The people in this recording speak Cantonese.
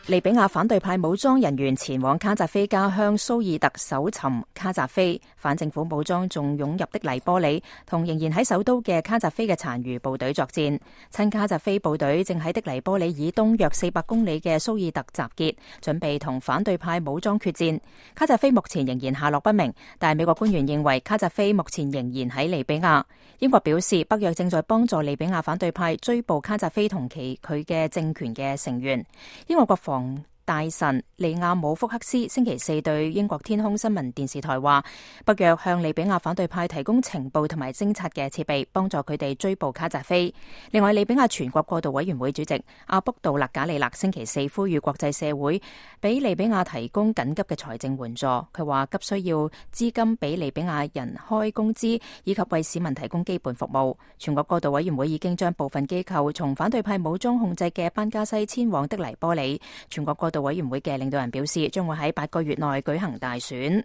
利比亞反對派武裝人員前往卡扎菲家鄉蘇爾特搜尋卡扎菲，反政府武裝仲湧入的黎波里，同仍然喺首都嘅卡扎菲嘅殘餘部隊作戰。親卡扎菲部隊正喺的黎波里以東約400公里嘅蘇爾特集結，準備同反對派武裝決戰。卡扎菲目前仍然下落不明，但係美國官員認為卡扎菲目前仍然喺利比亞。英國表示，北約正在幫助利比亞反對派追捕卡扎菲同佢嘅政權嘅成員。英國國防大臣利亞姆福克斯星期四對英國天空新聞電視台話，北約向利比亞反對派提供情報同埋偵察嘅設備，幫助佢哋追捕卡扎菲。另外，利比亞全國過渡委員會主席阿卜杜勒賈里勒星期四呼籲國際社會俾利比亞提供緊急嘅財政援助。佢話急需要資金俾利比亞人開工資，以及為市民提供基本服務。全國過渡委員會已經將部分機構從反對派武裝控制嘅班加西遷往的黎波里。全國過渡委員會嘅領導人表示，將會喺8個月內舉行大選。